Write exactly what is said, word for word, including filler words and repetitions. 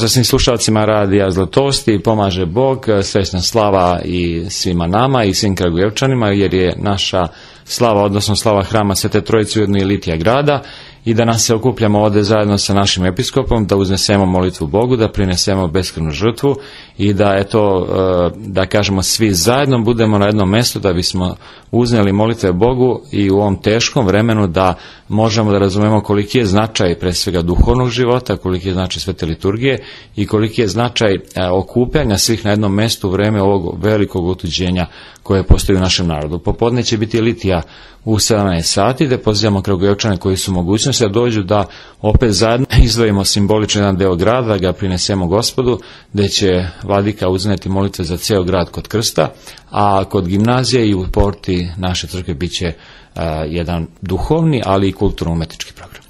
Pozdrav svim slušalcima Radija Zlatosti, pomaže Bog, srećna slava i svima nama i svim Kragujevčanima, jer je naša slava, odnosno slava Hrama Svete Trojice ujedno i litija grada, i da nas se okupljamo ovde zajedno sa našim episkopom, da uznesemo molitvu Bogu, da prinesemo beskrvnu žrtvu i da, eto, da kažemo svi zajedno budemo na jednom mestu da bismo uzneli molitve Bogu i u ovom teškom vremenu da možemo da razumemo koliki je značaj pre svega duhovnog života, koliki je značaj svete liturgije i koliki je značaj okupljanja svih na jednom mestu u vreme ovog velikog otuđenja koje postoji u našem narodu. Popodne će biti litija u sedamnaest sati, gde pozivamo Kragujevčane koji su mogućnosti da dođu da opet zajedno izdvojimo simbolično jedan deo grada, da ga prinesemo Gospodu, gde će vladika uzneti molitve za ceo grad kod krsta, a kod gimnazije i u porti naše crkve bit će uh, jedan duhovni, ali i kulturno-umetnički program.